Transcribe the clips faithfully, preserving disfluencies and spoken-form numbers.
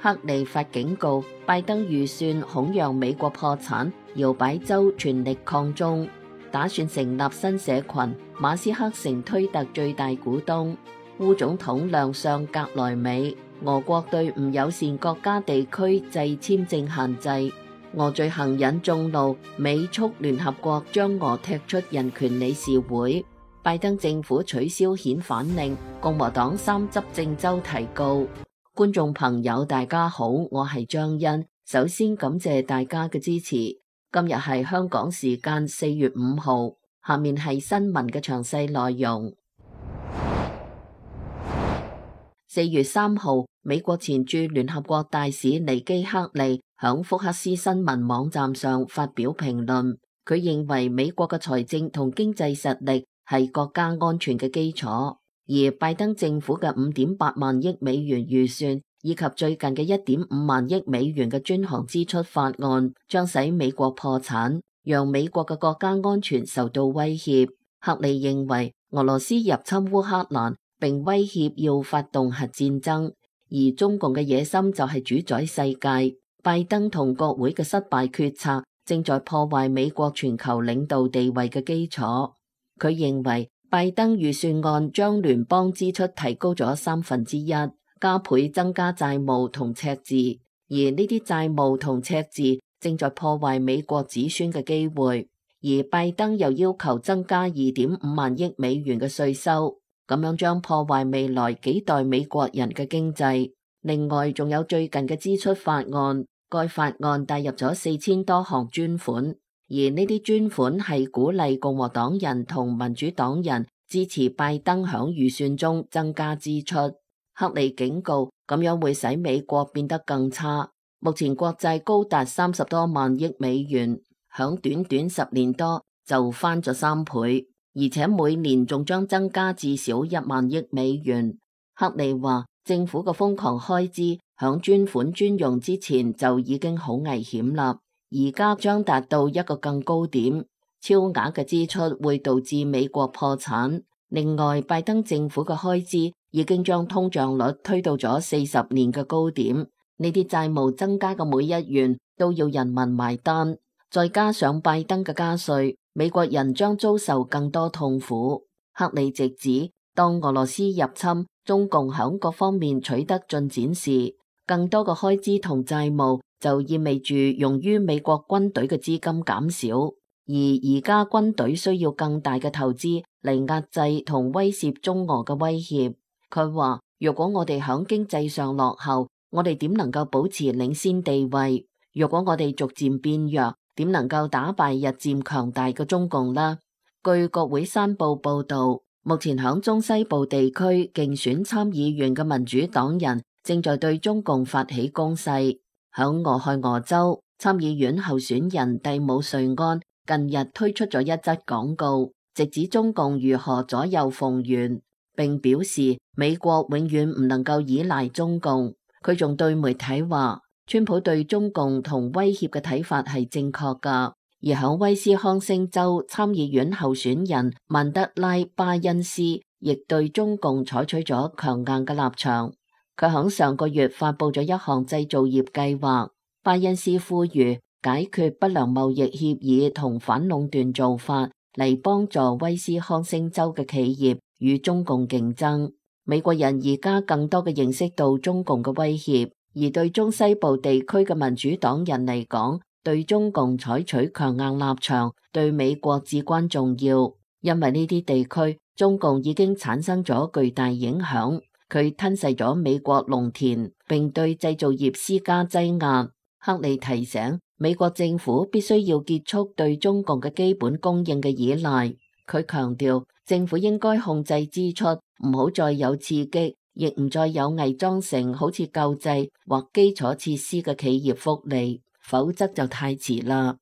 克利發警告，拜登預算恐讓美國破產，搖擺州全力抗中，打算成立新社群。馬斯克成推特最大股東。烏總統亮相格萊美，俄國對唔友善國家地區制簽證限制。俄罪行引眾怒，美促聯合國將俄踢出人權理事會。拜登政府取消遣返令，共和黨三執政州提告。觀眾朋友大家好，我係張欣，首先感謝大家嘅支持。今日係香港時間四月五號，下面係新聞嘅詳細內容。四月三號，美國前駐聯合國大使尼基克利響福克斯新聞網站上發表評論，佢認為美國嘅財政同經濟實力係國家安全嘅基礎。而拜登政府嘅五點八萬億美元預算，以及最近嘅一點五萬億美元嘅專項支出法案，將使美國破產，讓美國嘅國家安全受到威脅。克利認為俄羅斯入侵烏克蘭並威脅要發動核戰爭，而中共嘅野心就係主宰世界。拜登同國會嘅失敗決策正在破壞美國全球領導地位嘅基礎。佢認為拜登預算案將聯邦支出提高咗三分之一，加倍增加債務同赤字，而呢啲債務同赤字正在破壞美國子孫嘅機會。而拜登又要求增加二點五萬億美元嘅稅收，咁樣將破壞未來幾代美國人嘅經濟。另外，仲有最近嘅支出法案，該法案帶入咗四千多項專款。而呢啲專款係鼓勵共和黨人同民主黨人支持拜登響預算中增加支出。克利警告，咁樣會使美國變得更差。目前國債高達三十多萬億美元，響短短十年多就翻咗三倍，而且每年仲將增加至少一萬億美元。克利話，政府嘅瘋狂開支響專款專用之前就已經好危險啦。而家將達到一個更高點，超額嘅支出會導致美國破產。另外，拜登政府嘅開支已經將通脹率推到咗四十年嘅高點，呢啲債務增加嘅每一元都要人民埋單。再加上拜登嘅加稅，美國人將遭受更多痛苦。克利直指，當俄羅斯入侵，中共響各方面取得進展時，更多嘅開支同債務就意味住用於美國軍隊嘅資金減少，而而家軍隊需要更大嘅投資嚟壓制同威懾中俄嘅威脅。佢話，如果我哋響經濟上落後，我哋點能夠保持領先地位？如果我哋逐漸變弱，點能夠打敗日漸強大嘅中共呢？據國會山報報道，目前響中西部地區競選參議員嘅民主黨人正在對中共發起攻勢。響俄亥俄州，參議院候選人蒂姆瑞安近日推出咗一則廣告，直指中共如何左右逢源，並表示美國永遠唔能夠依賴中共。佢仲對媒體話，川普對中共同威脅嘅睇法係正確㗎。而響威斯康星州參議院候選人曼德拉巴恩斯亦對中共採取咗強硬嘅立場。佢響上個月發佈咗一項製造業計劃，巴恩斯呼籲解決不良貿易協議同反壟斷做法，嚟幫助威斯康星州嘅企業與中共競爭。美國人而家更多嘅認識到中共嘅威脅，而對中西部地區嘅民主黨人嚟講，對中共採取強硬立場對美國至關重要，因為呢啲地區中共已經產生咗巨大影響。佢吞噬咗美國農田，並對製造業施加擠壓。克利提醒美國政府必須要結束對中共嘅基本供應嘅依賴。佢強調，政府應該控制支出，唔好再有刺激，亦唔再有偽裝成好似救濟或基礎設施嘅企業福利，否則就太遲啦。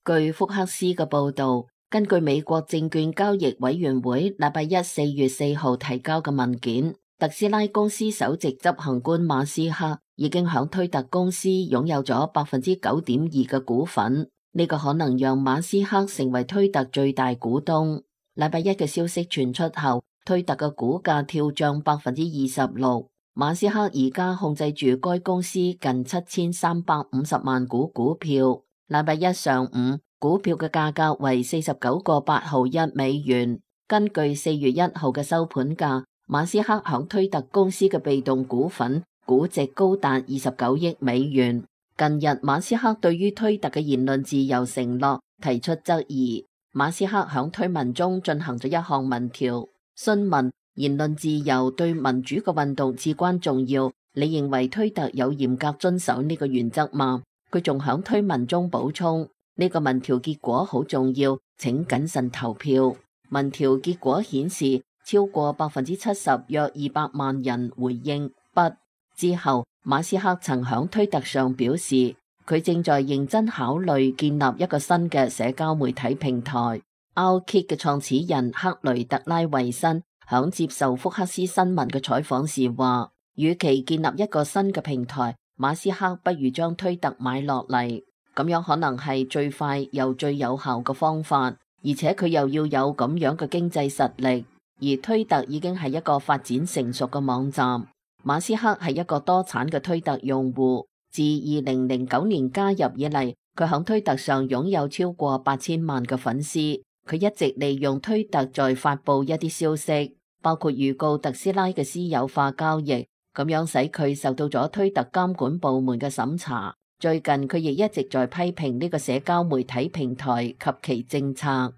據福克斯嘅報道，根據美國證券交易委員會禮拜一四月四號提交嘅文件，特斯拉公司首席執行官馬斯克已經響推特公司擁有咗百分之九點二嘅股份，呢個可能讓馬斯克成為推特最大股東。禮拜一嘅消息傳出後，推特嘅股價跳漲百分之二十六。馬斯克而家控制住該公司近七千三百五十萬股股票。禮拜一上午，股票嘅價格為四十九個八毫一美元。根據四月一號嘅收盤價，馬斯克響推特公司嘅被動股份估值高達二十九億美元。近日，馬斯克對於推特嘅言論自由承諾提出質疑。馬斯克響推文中進行咗一項民調，詢問言論自由對民主嘅運動至關重要，你認為推特有嚴格遵守呢個原則嗎？佢仲響推文中補充，呢個民調結果好重要，請謹慎投票。民調結果顯示，超過百分之七十約二百萬人回應不。之後，馬斯克曾響推特上表示，佢正在認真考慮建立一個新嘅社交媒體平台。Outkit 嘅創始人克雷特拉維申響接受福克斯新聞嘅採訪時話，與其建立一個新嘅平台，馬斯克不如將推特買落嚟，咁樣可能係最快又最有效嘅方法，而且佢又要有咁樣嘅經濟實力。而推特已經係一個發展成熟嘅網站。馬斯克係一個多產嘅推特用戶，自二零零九年加入以嚟，佢響推特上擁有超過八千萬嘅粉絲。佢一直利用推特在發佈一啲消息，包括預告特斯拉嘅私有化交易，咁樣使佢受到咗推特監管部門嘅審查。最近佢亦一直在批評呢個社交媒體平台及其政策。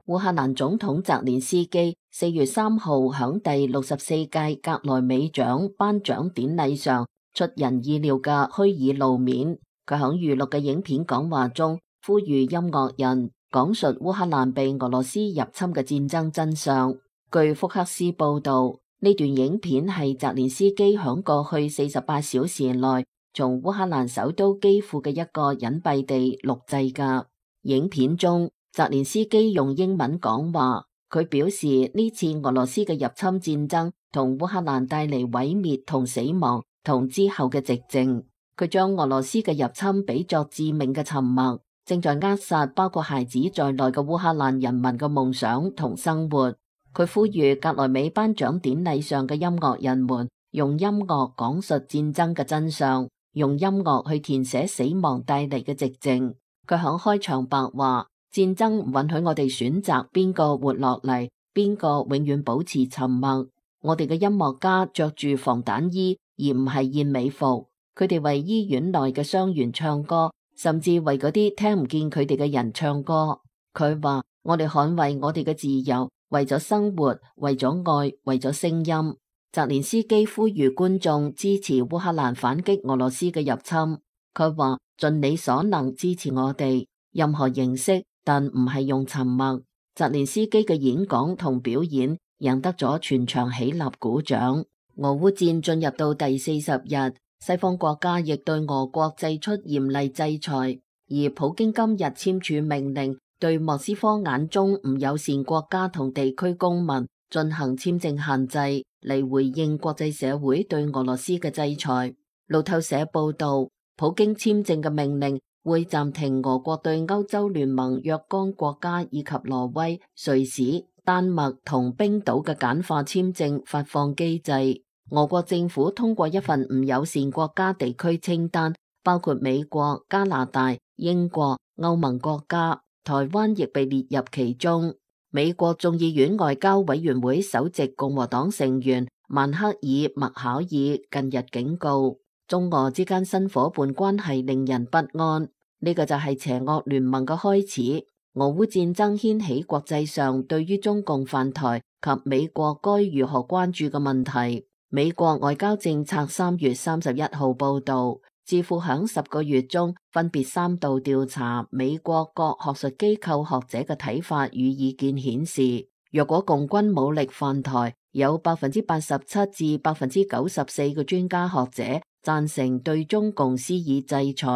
烏克蘭總統澤連斯基四月三號響第六十四屆格萊美獎頒獎典禮上出人意料嘅虛擬露面。佢響預錄嘅影片講話中呼籲音樂人講述烏克蘭被俄羅斯入侵嘅戰爭真相。據福克斯報道，呢段影片係澤連斯基響過去四十八小時內從烏克蘭首都基輔嘅一個隱蔽地錄製嘅。影片中，澤連斯基用英文講話，佢表示呢次俄羅斯嘅入侵戰爭同烏克蘭帶嚟毀滅同死亡，同之後嘅寂靜。佢將俄羅斯嘅入侵比作致命嘅沉默，正在扼殺包括孩子在內嘅烏克蘭人民嘅夢想同生活。佢呼籲格萊美頒獎典禮上嘅音樂人們用音樂講述戰爭嘅真相，用音樂去填寫死亡帶嚟嘅寂靜。佢響開場白話，戰爭唔允許我哋選擇邊個活落嚟，邊個永遠保持沉默。我哋嘅音樂家着住防彈衣，而唔係燕尾服。佢哋為醫院內嘅傷員唱歌，甚至為嗰啲聽唔見佢哋嘅人唱歌。佢話：我哋捍衛我哋嘅自由，為咗生活，為咗愛，為咗聲音。澤連斯基呼籲觀眾支持烏克蘭反擊俄羅斯嘅入侵。佢話：盡你所能支持我哋，任何形式，但唔係用沉默。澤連斯基嘅演講同表演贏得咗全場起立鼓掌。俄烏戰進入到第四十日。西方國家亦對俄國祭出嚴厲制裁，而普京今日簽署命令，對莫斯科眼中唔友善國家同地區公民進行簽證限制，嚟回應國際社會對俄羅斯嘅制裁。路透社報道，普京簽證嘅命令會暫停俄國對歐洲聯盟若干國家以及挪威、瑞士、丹麥同冰島嘅簡化簽證發放機制。俄國政府通過一份唔友善國家地區清單，包括美國、加拿大、英國、歐盟國家，台灣亦被列入其中。美國眾議院外交委員會首席共和黨成員曼克爾麥考爾近日警告，中俄之間新夥伴關係令人不安，呢個就係邪惡聯盟嘅開始。俄烏戰爭掀起國際上對於中共犯台及美國該如何關注嘅問題。美國外交政策三月三十一號報道，智庫響十個月中分別三度調查美國各學術機構學者嘅睇法與意見，顯示若果共軍武力犯台，有百分之八十七至百分之九十四嘅專家學者贊成對中共施以制裁，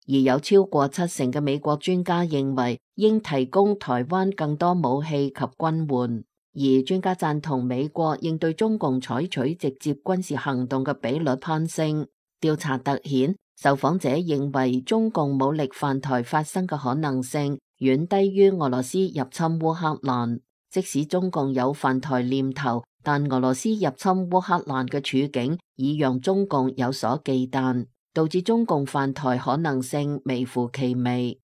而有超過七成嘅美國專家認為應提供台灣更多武器及軍援。而專家贊同美國應對中共採取直接軍事行動嘅比率攀升。調查突顯，受訪者認為中共武力犯台發生嘅可能性遠低於俄羅斯入侵烏克蘭。即使中共有犯台念頭，但俄羅斯入侵烏克蘭嘅處境已讓中共有所忌憚，導致中共犯台可能性微乎其微。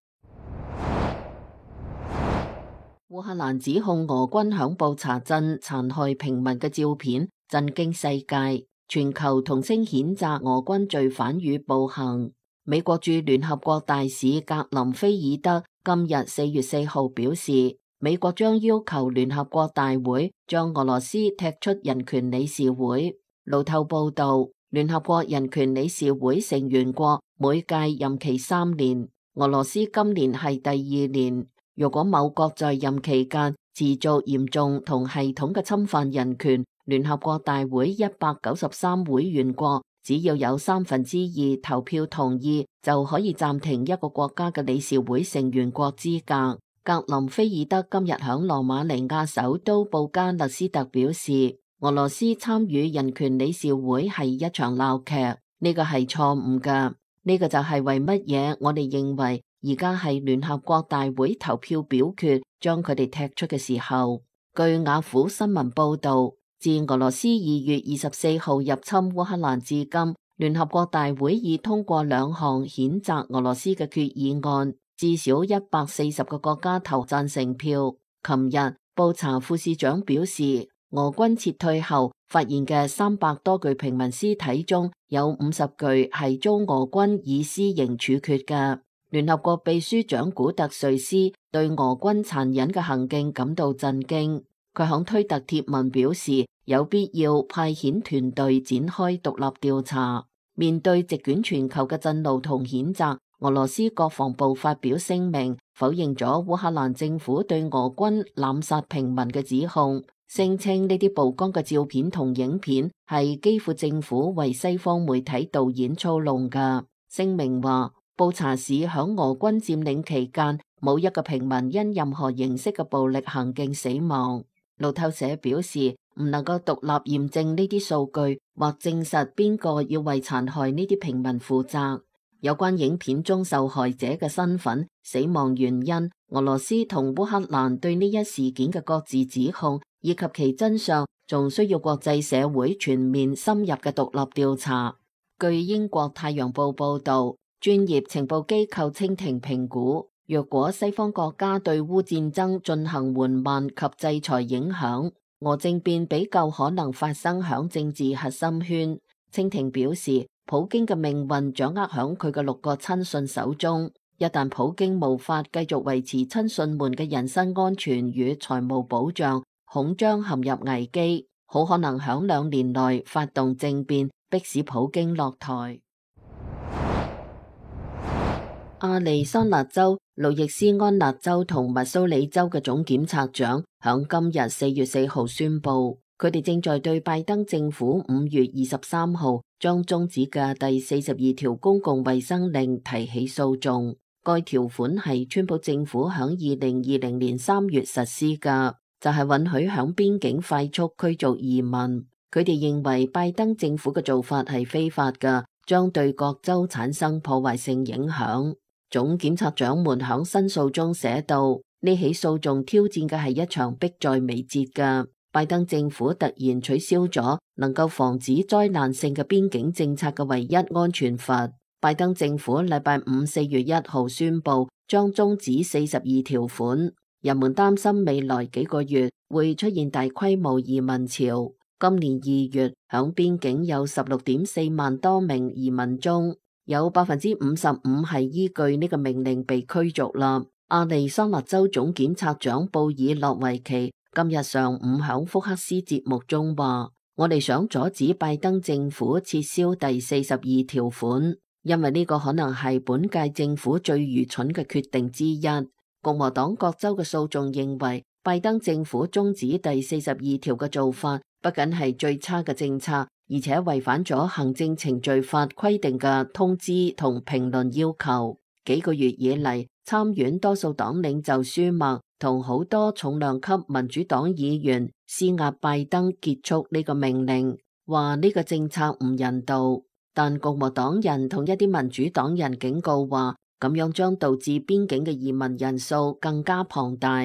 烏克蘭指控俄軍響布查鎮殘害平民嘅照片震驚世界，全球同聲譴責俄軍罪犯與暴行。美國駐聯合國大使格林菲爾德今日四月四號表示，美國將要求聯合國大會將俄羅斯踢出人權理事會。路透報道，聯合國人權理事會成員國每屆任期三年，俄羅斯今年係第二年。如果某國在任期間持續嚴重同系統嘅侵犯人權，聯合國大會一百九十三會員國只要有三分之二投票同意，就可以暫停一個國家嘅理事會成員國資格。格林菲爾德今日響羅馬尼亞首都布加勒斯特表示，俄羅斯參與人權理事會係一場鬧劇，呢個係錯誤㗎。呢個就係為乜嘢我哋認為而家係聯合國大會投票表決將佢哋踢出嘅時候。據雅虎新聞報道，自俄羅斯二月二十四號入侵烏克蘭至今，聯合國大會已通過兩項譴責俄羅斯嘅決議案，至少一百四十個國家投贊成票。琴日，布查副市長表示，俄軍撤退後發現嘅三百多具平民屍體中有五十具係遭俄軍以私刑處決嘅。聯合國秘書長古特瑞斯對俄軍殘忍嘅行徑感到震驚。佢響推特貼文表示，有必要派遣團隊展開獨立調查。面對席捲全球嘅震怒同譴責，俄羅斯國防部發表聲明，否認咗烏克蘭政府對俄軍濫殺平民嘅指控，聲稱呢啲曝光嘅照片同影片係基輔政府為西方媒體導演操弄㗎。聲明話，布查市響俄軍佔領期間，冇一個平民因任何形式嘅暴力行徑死亡。路透社表示，唔能夠獨立驗證呢啲數據，或證實邊個要為殘害呢啲平民負責。有關影片中受害者嘅身份、死亡原因、俄羅斯同烏克蘭對呢一事件嘅各自指控，以及其真相，仲需要國際社會全面深入嘅獨立調查。據英國太陽報報道，專業情報機構蜻蜓評估，若果西方國家對烏戰爭進行緩慢及制裁影響，俄政變比較可能發生響政治核心圈。蜻蜓表示，普京嘅命運掌握響佢嘅六個親信手中，一旦普京無法繼續維持親信們嘅人身安全與財務保障，恐將陷入危機，好可能響兩年內發動政變，迫使普京落台。亞利桑那州、路易斯安那州同密蘇里州嘅總檢察長響今日四月四號宣布，佢哋正在對拜登政府五月二十三號將終止嘅第四十二條公共衛生令提起訴訟。該條款係川普政府響二零二零年三月實施嘅，就係、是、允許響邊境快速驅逐移民。佢哋認為拜登政府嘅做法係非法嘅，將對各州產生破壞性影響。總檢察長們響申訴中寫道，呢起訴訟挑戰嘅係一場迫在眉睫嘅。拜登政府突然取消咗能夠防止災難性嘅邊境政策嘅唯一安全閥。拜登政府禮拜五四月一號宣布將終止四十二條款。人們擔心未來幾個月會出現大規模移民潮。今年二月響邊境有十六點四萬多名移民中，有百分之五十五係依據呢個命令被驅逐啦。亞利桑那州總檢察長布爾諾維奇今日上午響福克斯節目中話，我哋想阻止拜登政府撤銷第四十二條款，因為呢個可能係本屆政府最愚蠢嘅決定之一。共和黨各州嘅訴訟認為，拜登政府終止第四十二條嘅做法不僅係最差嘅政策，而且違反咗行政程序法規定嘅通知同評論要求。幾個月以嚟，參院多數黨領袖舒默同好多重量級民主黨議員施壓拜登結束呢個命令，話呢個政策唔人道。但共和黨人同一啲民主黨人警告話，咁樣將導致邊境嘅移民人數更加龐大。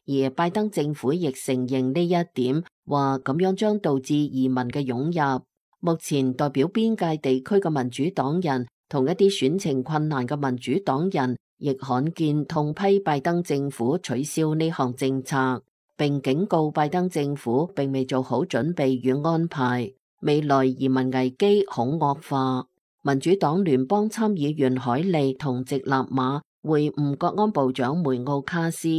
而拜登政府亦承認呢一點，話咁樣將導致移民嘅湧入。目前代表邊界地區嘅民主黨人同一啲選情困難嘅民主黨人，亦罕見痛批拜登政府取消呢項政策，並警告拜登政府並未做好準備與安排，未來移民危機恐惡化。民主黨聯邦參議員海利同直立馬會晤國安部長梅奧卡斯，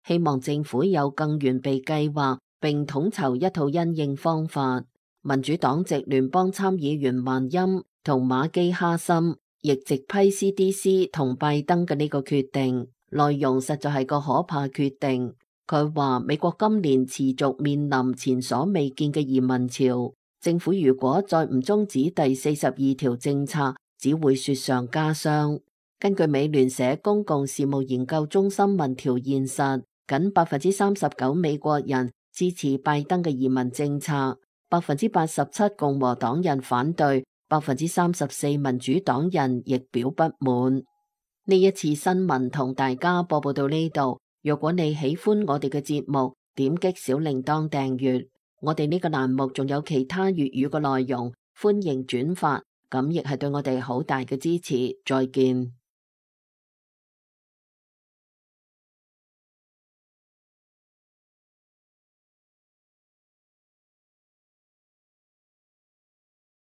希望政府有更完備計劃，並統籌一套因應方法。民主黨籍聯邦參議員曼欽同馬基哈森亦直批 C D C 同拜登嘅呢個決定，內容實在係個可怕決定。佢話美國今年持續面臨前所未見嘅移民潮，政府如果再唔終止第四十二條政策，只會雪上加霜。根據美聯社公共事務研究中心民調現實，僅百分之三十九美國人支持拜登嘅移民政策，百分之八十七共和黨人反對，百分之三十四民主黨人亦表不滿。呢一次新聞同大家播報到呢度。若果你喜歡我哋嘅節目，點擊小鈴鐺訂閱。我哋呢個欄目仲有其他粵語嘅內容，歡迎轉發，咁亦係對我哋好大嘅支持。再見。